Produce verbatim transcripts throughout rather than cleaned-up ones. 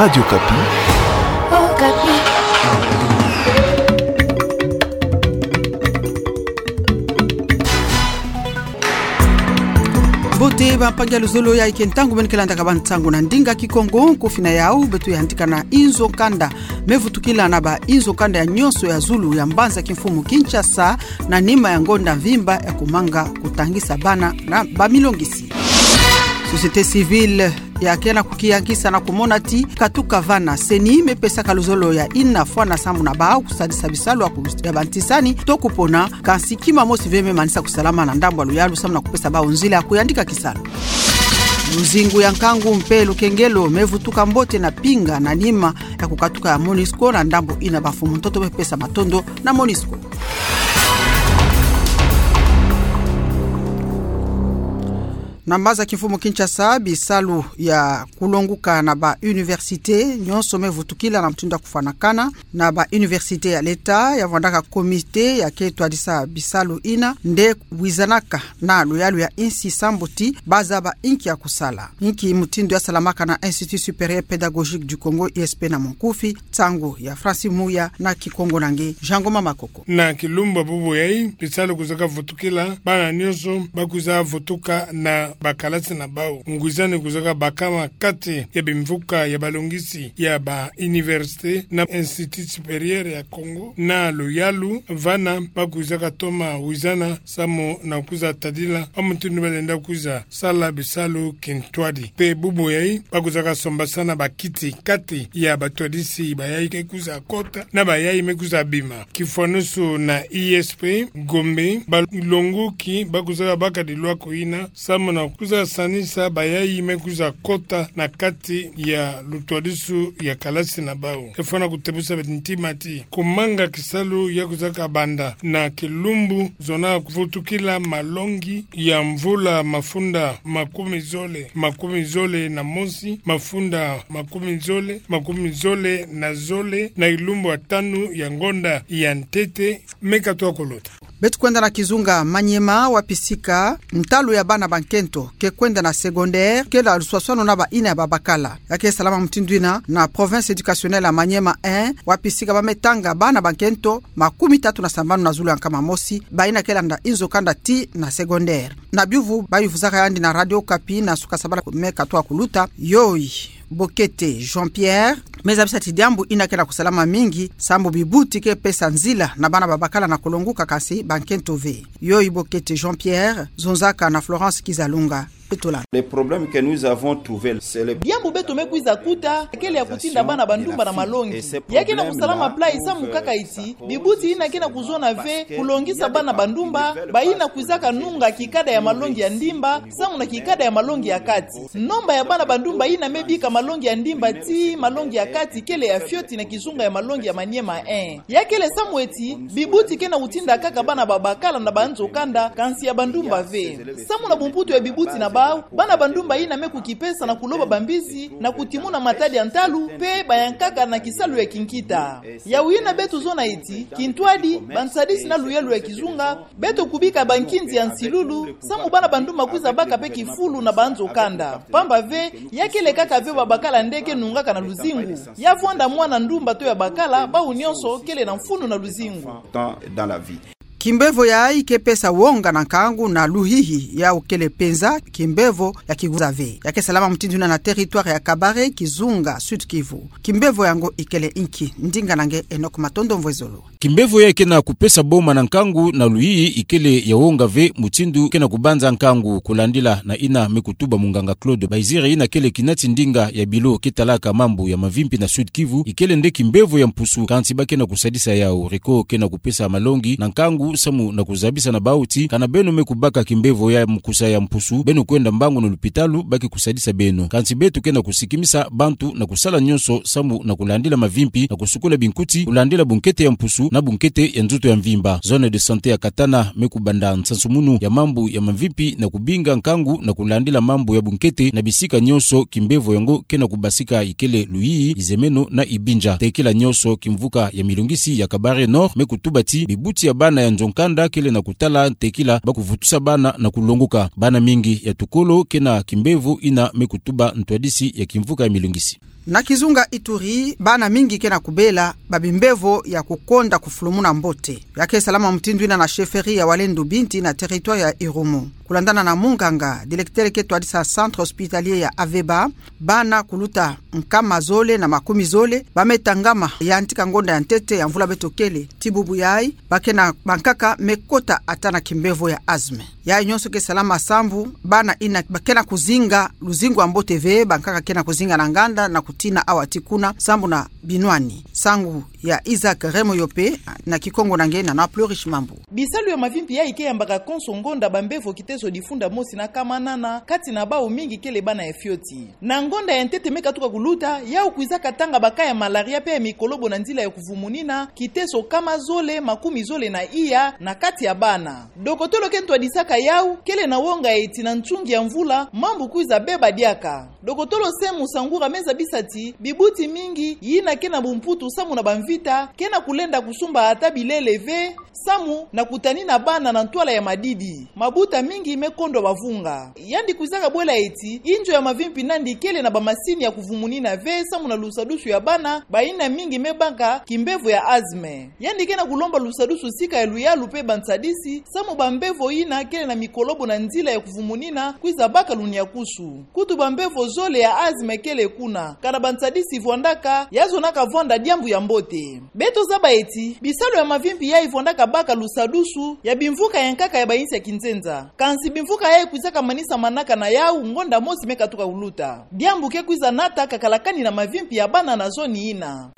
Radio Okapi. Okapi. Mbote bampangi ya luzolo, yayi ke ntangu meni ke landaka bansangu na ndinga Kikongo. Nkufi na yau, beto yantika na inzo kanda me vutukila na bainzo kanda ya nionso ya zulu ya mbanza kimfumu Kinshasa, na nima ya ngonda mvimba ya kumanga kutangisa bana na bamilongisi. Société civile ya ke na kukiyangisa na kumona ti katuka vana. CENI me pesaka luzolo ya ina fwana sambu na bau kusadisa bisalu ya ku-, ya bantisani to kupona, kansi kima mosi ve me manisa kusalama na ndambu ya luyalu samu na kupesa bau nzila ya kuyandika kisalu. Luzingu ya nkangu mpe lukengelo me vutuka mbote na pinga na nima ya kukatuka ya MONUSCO, na ndambu ina bamfumu ntoto me pesa matondo na MONUSCO. Na mbanza kimfumu Kinshasa, bisalu ya kulonguka na bauniversité nionso me vutukila na mutindu ya kufwanakana. Na bauniversité ya leta ya vwandaka comité ya ke twadisa bisalu ina nde wizanaka na luyalu ya insi sambu ti bazaba inki ya kusala. Inki mutindu ya salamaka na Institut Supérieur Pédagogique du Congo, I S P na munkufi. Nsangu ya Francis Muya na Kikongo na nge Jean Ngoma Makoko. Na kilumbu bubu yayi, bisalu kwizaka vutukila, bana nionso bakwiza vutuka na bakalasi na bau. Ngwizani kwizaka bakama kati ya bimvuka ya balongisi ya bauniversité na Institut Supérieur ya Congo, na luyalu vana bakwizaka toma wizana samu na kwiza tadila mutindu balenda kwiza sala bisalu kintwadi. Mpe bubu yayi, bakwizaka sombasana bakiti kati ya batwadisi bayayi ke kwiza kota na bayayi me kwiza bima. Kifwanusu na I S P Gombe, balonguki bakwizaka baka dilwako ina samu na kwiza sanisa bayayi me kwiza kota na kati ya lutwadisu ya kalasi na bau. Efwana kutebusa beto ntima ti kumanga kisalu ya kwizaka banda na kilumbu zona kuvutukila malongi ya mvula mafunda makumi zole, makumi zole na mosi, mafunda makumi zole, makumi zole na zole, na kilumbu ya tanu ya ngonda ya ntete me katwa kuluta. Beto kwenda na kizunga Maniema, wapi sika ntalu ya bana bankento ke kwenda na secondaire kele luswaswanu na baina ya babakala. Ya ke salama mutindu ina na province éducationnelle ya Maniema un, wapi sika ba me tanga bana bankento makumi tatu na sambanu na zulu ya nkama mosi, baina ke landa inzo kanda tii na secondaire. Na biuvu bayuvuzaka yandi na Radio Okapi na suka sabala me katwa kuluta, yoyi Bokete Jean-Pierre me zabisa ti diambu ina ke na kusalama mingi, sambu bibuti ke pesa nzila na bana babakala na kulonguka, kansi bankento ve. Yoyi Bokete Jean-Pierre zonzaka na Florence Kizalunga. Petula. Le problème que nous avons trouvé, c'est le... Diambu beto me kwiza kuta kele ya kutinda bana bandumba na malongi. Ya ke na kusalama pla samu kaka iti bibuti ina ke na kuzona ve kulongisa bana bandumba, baina kwizaka nunga kikada ya malongi ya ndimba samu na kikada ya malongi ya kati. Nomba ya bana bandumba ina me bika malongi ya ndimba tii malongi ya kati kele ya fioti na kizunga ya malongi ya Maniema un. Ya kele samu eti bibuti ke na kutinda kaka bana babakala na banzo kanda, kansi ya bandumba ve. Samu na bumputu ya bibuti na bau, bana bandumba ina me kukipesa na kuloba bambizi, na kutimuna matadi ya ntalu, mpe bayankaka na kisalu ya kinkita. Yawu ina beto zona eti kintwadi, bansadisi na luyalu ya kizunga, beto kubika bankinzi ya nsilulu samu bana bandumba kwiza baka mpe kifulu na banzo kanda. Pamba ve, ya kele kaka ve babakala nde ke nungaka na luzingu. Ya vwanda mwana ndumba to ya bakala, bau nionso kele na mfunu na luzingu. Dans la vie. Kimbevo yayi ke pesa wonga na nkangu na luhihi, yawu kele penza kimbevo ya kiguza ve. Ya ke salama mutindu ina na territoire ya Kabare, kizunga Sud-Kivu. Kimbevo yango ikele inki? Ndinga na nge Enoch Matondo Mvwezolo. Kimbevo yayi ke na kupesa boma na nkangu na luhihi ikele ya wonga ve mutindu ke na kubanza nkangu, kulandila na ina me kutuba munganga Claude Baizire, ina kele kinati ndinga ya bilo ke talaka mambu ya mavimpi na Sud-Kivu. Ikele nde kimbevo ya mpusu, kansi ba ke na kusadisa yawu. Reko ke na kupesa malongi na nkangu samu na kuzabisa na bau ti kana beno me kubaka kimbevo ya mukusa ya mpusu, beno kwenda mbangu na lupitalu, ba ke kusadisa beno. Kansi beto ke na kusikimisa bantu na kusala nionso samu na kulandila mavimpi na kusukula binkuti, kulandila bunkete ya mpusu na bunkete ya nzutu ya mvimba. Zone de santé ya Katana me kubanda nsansumunu ya mambu ya mavimpi na kubinga nkangu na kulandila mambu ya bunkete na bisika nionso kimbevo yango ke na kubasika, ikele Luhihi, Izemeno na Ibinja. Tekila nionso kimvuka ya milongisi ya Kabare Nord me kutuba ti bibuti ya bana ya nzo-nkanda kele na kutala tekila ba kuvutusa bana na kulongoka. Bana mingi ya tukolo ke na kimbevo ina me kutuba ntwadisi ya kimvuka ya milongisi. Na kizunga Ituri, bana mingi ke na kubela ba bimbevo ya kukonda kufulumuna mbote. Ya ke salama mutindu ina na chefferie ya Walendu Binti na territoire ya Irumu. Kulandana na munganga, directeur ke twadisa centre hospitalier ya Aveba, bana kuluta nkama zole na makumi zole ba me tangama yantika ngonda ya ntete ya mvula beto kele ti bubu yayi, ba ke na bankaka me kota ata na kimbevo ya asthme. Yayi nyonso ke salama sambu bana ina ba ke na kuzinga luzingu ya mbote ve, bankaka ke na kuzinga na nganda na kutina awa ti kuna sambu na binwani. Nsangu ya Isaac Remoyope, na Kikongo na nge na na Plurish Mambu. Bisalu ya mavimpi yayi ke yambaka konso ngonda bambevo kitezo difunda mosi na nkama nana, kati na bawu mingi kele bana ya fioti. Na ngonda ya ntete me katuka kuluta, yawu kwizaka tanga ba cas ya malaria pe ya mikolobo na nzila ya kuvumunina, kitezo nkama zole makumi zole na iya na kati ya bana. Dokotolo ke ntwadisaka yawu kele na wonga eti na ntungi ya mvula mambu kwiza beba diaka. Dokotolo Semu Sangura me zabisa ti bibuti mingi yina ke na bumputu samu na bamvita ke na kulenda kusumba ata bilele ve, samu na kutanina bana na ntwala ya madidi. Mabuta mingi me kondwa bavunga. Yandi kwizaka bwela eti inzo ya mavimpi nandi kele na bamasini ya kuvumunina ve samu na lusadusu ya bana bayina mingi me baka kimbevo ya asthme. Yandi ke na kulomba lusadusu sika ya luyalu pe bansadisi samu bambevo yina kele na mikolobo na nzila ya kuvumunina kwiza baka lunyakusu. Kutu bambevo zole ya asthme kele kuna, kana bansadisi vwandaka ya zonaka vwanda diambu ya mbote. Beto zaba eti bisalu ya mavimpi yayi vwandaka baka lusadusu ya bimvuka ya nkaka ya bayinsi ya kinzenza. Kansi bimvuka yayi kwizaka manisa manaka na yawu ngonda mosi me katuka kuluta. Diambu ke kwiza nata kakalakani na mavimpi ya bana na zoni yina.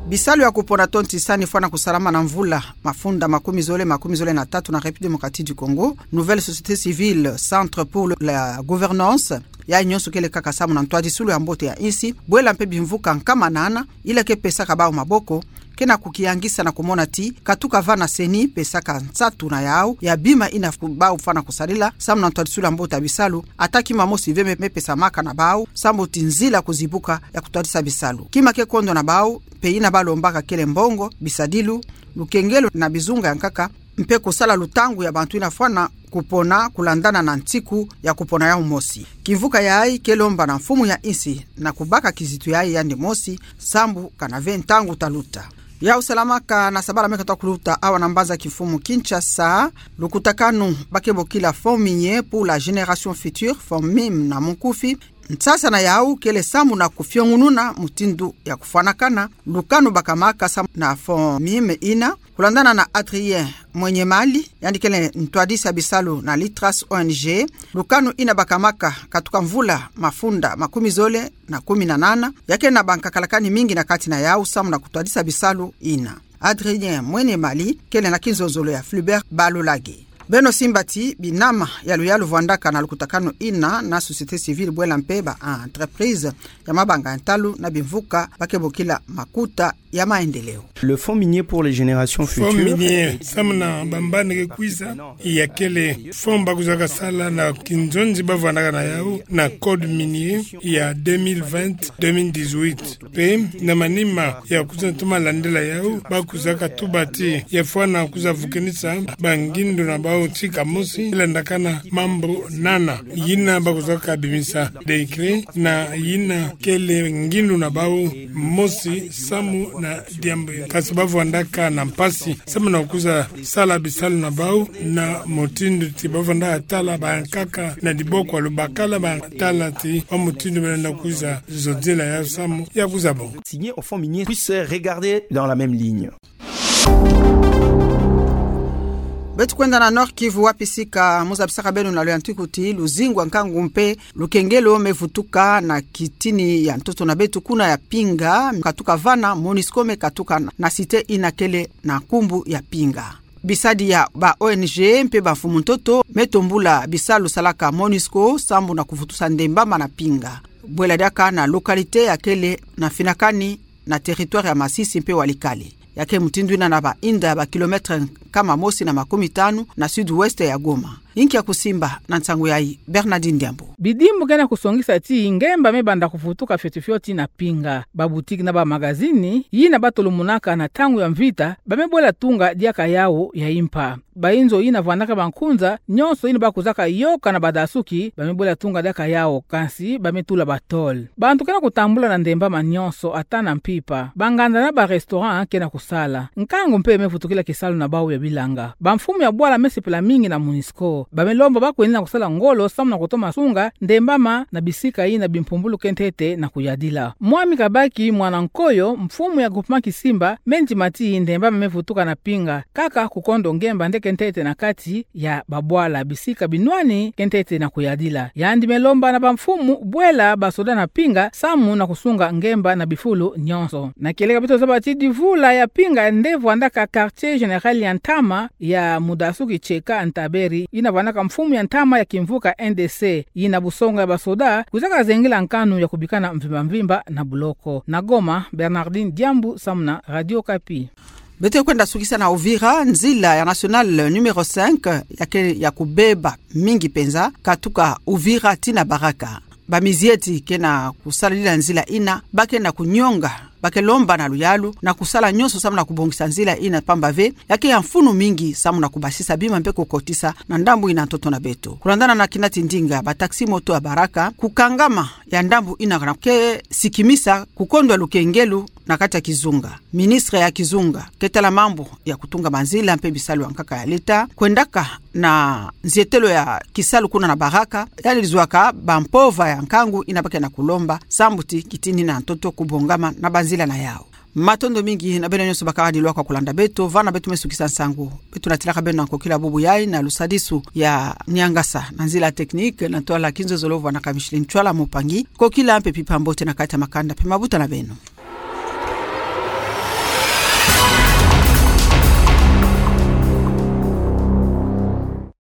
Bisalu ya kupona tonti sani fwana kusalama na mvula mafunda makumi zole, makumi zole na tatu na République démocratique du Congo. Nouvelle société civile, Centre pour le, la gouvernance, yayi nyonso kele kaka samu na ntwadisulu ya mbote ya insi, bwela mpe bimvuka nkama nana, ila ke pesaka bawu maboko, ke na kukiyangisa na kumona ti katuka vana CENI pesaka nsatu na yawu ya bima yina bawu fwana kusadila samu na ntwadisulu ya mbote ya bisalu, ata kima mosi ve me, me pesamaka na bawu, samu ti nzila kuzibuka ya kutwadisa bisalu. Kima ke kondwa na bawu, mpe yina balombaka kele mbongo, bisadilu, lukengelo na bizunga ya nkaka, mpe kusala lutangu ya bantu yina fwana kupona kulandana na nsiku ya kupona yawu mosi. Kimvuka yayi ke lomba na mfumu ya insi na kubaka kizitu yayi yandi mosi, sambu kana ve ntangu ta luta. Yawu salamaka na sabala me katuka kuluta awa na mbanza kimfumu Kinshasa, lukutakanu ba ke bokila Fonds minier pour la génération future, FONMIM na munkufi. Nsasa na yawu kele samu na kufiongununa mutindu ya kufwanakana lukanu bakamaka samu na FONMIM yina, kulandana na Adrien Mwenyemali, yandi kele ntwadisi ya bisalu na Litras O N G. Lukanu yina bakamaka katuka mvula mafunda makumi zole na kumi na nana, ya ke na bankakalakani mingi na kati na yawu samu na kutwadisa bisalu yina. Adrien Mwenyemali kele na kinzonzolo ya Flubert Balolage. Beno simba ti binama ya luyalu vwandaka na lukutakanu yina na société civile bwela mpe ba entreprise ya mabanga ya ntalu na bimvuka ba ke bokila makuta ya maendeleo. Le Fonds minier pour les générations futures. Fonds minier samu na bambani ke kwiza, ya kele fonds ba kwizaka sala na kinzonzi ba vwandaka na yawu na code minier ya deux mille vingt, deux mille dix-huit. Mpe na manima ya kwiza toma landila yawu, ba kwizaka tuba ti ya fwana kwiza vukenisa bangindu na bawu tika mosi landakana mambu nana. Yina ba kwizaka bimisa décret na yina kele ngindu na bawu mosi samu na diambu. Kansi ba vwandaka na mpasi samu na kwiza sala bisalu na bawu na mutindu ti ba vwanda tala bankaka na diboko ya lubakala, ba tala ti wa mutindu ba lenda kwiza zonzela yawu samu ya kwiza bonga. Signé au Fonds minier puisse regarder dans la même ligne. Beto kwenda na Nord-Kivu, wapi sika mu zabisaka beno na luyantiku ti luzingu ya nkangu mpe lukengelo me vutuka na kitini ya ntoto na beto kuna ya Pinga, katuka vana MONUSCO me katuka na, na cité yina kele na nkumbu ya Pinga. Bisadi ya ba O N G mpe bamfumu ntoto me tombula bisalu salaka MONUSCO sambu na kuvutusa ndembama na Pinga. Bwela diaka na localité ya kele na finakani na territoire ya Masisi mpe Walikale. Ya ke mutindu yina na ba inda ya ba kilomètre nkama mosi na makumi tanu na sud-ouest ya Goma. Inkia kusimba na nsangu yayi, Bernardine Diambu. Bidimbu ke na kusongisa ti ngemba me banda kuvutuka fioti fioti na Pinga. Ba boutique na ba magazine yina ba tolomunaka na ntangu ya mvita, ba me bwela tunga diaka yawu ya impa. Ba inzo yina vandaka ba nkunza nyonso yina ba kuzaka yoka na badasuki, ba me bwela tunga diaka yawu, kansi ba me tula ba tôle. Bantu ke na kutambula na ndembama nyonso, ata na mpimpa. Ba nganda na ba restaurant ke na kusala. Nkangu mpe me vutukila kisalu na bawu ya bilanga. Ba mfumu ya bwala me sepela mingi na MONUSCO. Ba me lomba ba kwenina kusala ngolo samu na kutoma sunga ndembama na bisika yina bimpumbulu ke ntete na kuyadila. Mwami Kabaki Mwana Nkoyo, mfumu ya groupement Kisimba, me ndima ti ndembama me vutuka na Pinga, kaka kukondo ngemba nde ke ntete na kati ya babwala, bisika binwani ke ntete na kuyadila. Yandi me lomba na ba mfumu bwela ba soda na Pinga samu na kusunga ngemba na bifulu nyonso. Na kieleka beto zaba ti divula ya Pinga nde vandaka quartier général ya ntama ya mudasuki Tcheka Ntaberi, yina vandaka mfumu ya ntama ya kimvuka N D C, yina busonga ya ba soda kwizaka zengila nkanu ya kubikana mvimba mvimba na buloko. Na Goma, Bernardine Diambu samu na Radio Okapi. Beto kwenda sukisa na Uvira, nzila ya nationale numéro cinq ya ke ya kubeba mingi penza, katuka Uvira tii na Baraka. Ba mizieti ke na kusalalila nzila yina, ba ke na kunyonga, ba ke lomba na luyalu na kusala nyonso samu na kubongisa nzila yina, pamba ve ya ke ya mfunu mingi samu na kubasisa bima mpe kukotisa na ndambu yina ntoto na beto. Kulandana na kina tindinga, ba taxi-moto ya Baraka, kukangama ya ndambu yina ke na kusikimisa kukondwa lukengelu na kati ya kizunga. Ministre ya kizunga ke tala mambu ya kutunga manzila mpe bisalu ya nkaka ya leta, kwendaka na nzietelo ya kisalu kuna na Baraka, yandi luzwaka ba mpova ya nkangu yina ba ke na kulomba, sambu ti kitinina ntoto kubongama na banzila na yawu. Matondo mingi na beno nyonso bakala dilwaka kulanda beto, vana beto me sukisa nsangu. Beto natilaka beno na nkokila bubu yayi na lusadisu ya niangasa na nzila technique na ntwala kinzozolo vwandaka Micheline Ntwala Mupangi. Nkokila mpe mpimpa mbote na kati ya makanda mpe mabuta na beno.